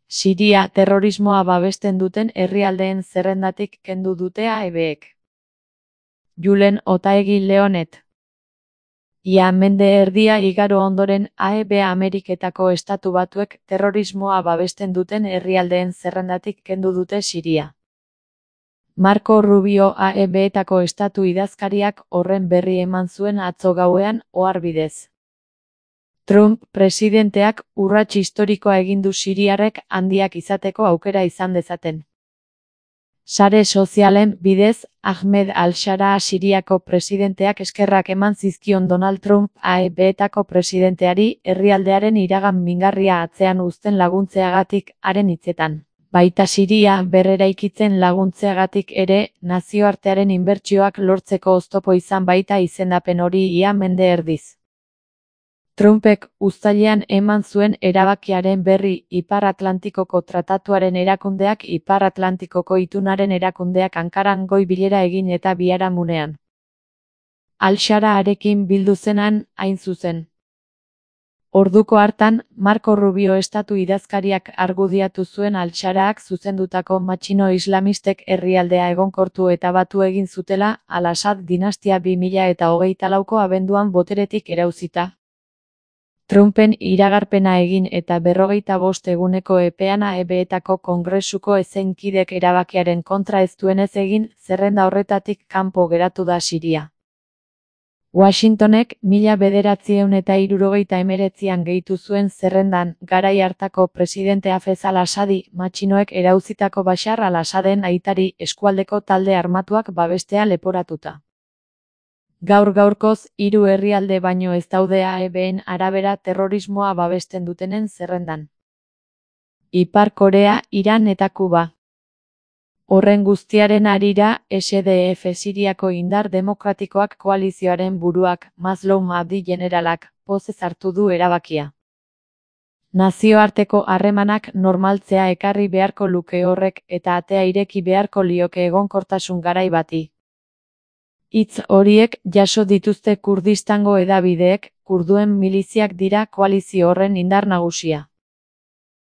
Siria terrorismoa babesten duten herrialdeen zerrendatik kendu dute AEBek. Julen Otaegi Leonet. Ia mende erdia igaro ondoren AEB Ameriketako Estatu Batuek terrorismoa babesten duten herrialdeen zerrendatik kendu dute Siria. Marco Rubio AEBetako estatu idazkariak horren berri eman zuen atzo gauean ohar bidez. Trump presidenteak urrats historikoa egin du siriarrek handiak izateko aukera izan dezaten. Sare sozialen bidez, Ahmed al-Shara Siriako presidenteak eskerrak eman zizkion Donald Trump AEBetako presidenteari herrialdearen iragan mingarria atzean uzten laguntzeagatik haren hitzetan. Baita Siria berreraikitzen laguntzeagatik ere, nazioartearen inbertsioak lortzeko oztopo izan baita izendapen hori ia mende erdiz. Trumpek uztailean eman zuen erabakiaren berri Ipar Atlantikoko Tratatuaren erakundeak Ipar Atlantikoko Itunaren erakundeak Ankaran goi bilera egin eta biharamunean. Al-Shara harekin bildu zenan, hain zuzen. Orduko hartan, Marco Rubio estatu idazkariak argudiatu zuen Al-Sharaak zuzendutako matxino islamistek herrialdea egonkortu eta batu egin zutela, Al-Assad dinastia 2024ko abenduan boteretik erauzita. Trumpen iragarpena egin eta 45 eguneko epean AEBetako Kongresuko ezenkidek erabakiaren kontra ez duenez egin, zerrenda horretatik kanpo geratu da Siria. Washingtonek 1979an gehitu zuen zerrendan, garai hartako presidente Hafez al-Assadi, matxinoek erauzitako Bashar al-Assaden aitari eskualdeko talde armatuak babestea leporatuta. Gaur-gaurkoz, 3 herrialde baino ez daude AEBen arabera terrorismoa babesten dutenen zerrendan. Ipar Korea, Iran eta Kuba. Horren guztiaren harira, SDF Siriako indar demokratikoak koalizioaren buruak, Mazloum Abdi generalak, pozez hartu du erabakia. Nazioarteko harremanak normaltzea ekarri beharko luke horrek eta atea ireki beharko lioke egonkortasun garai bati. Hitz horiek jaso dituzte Kurdistango hedabideek, kurduen miliziak dira koalizio horren indar nagusia.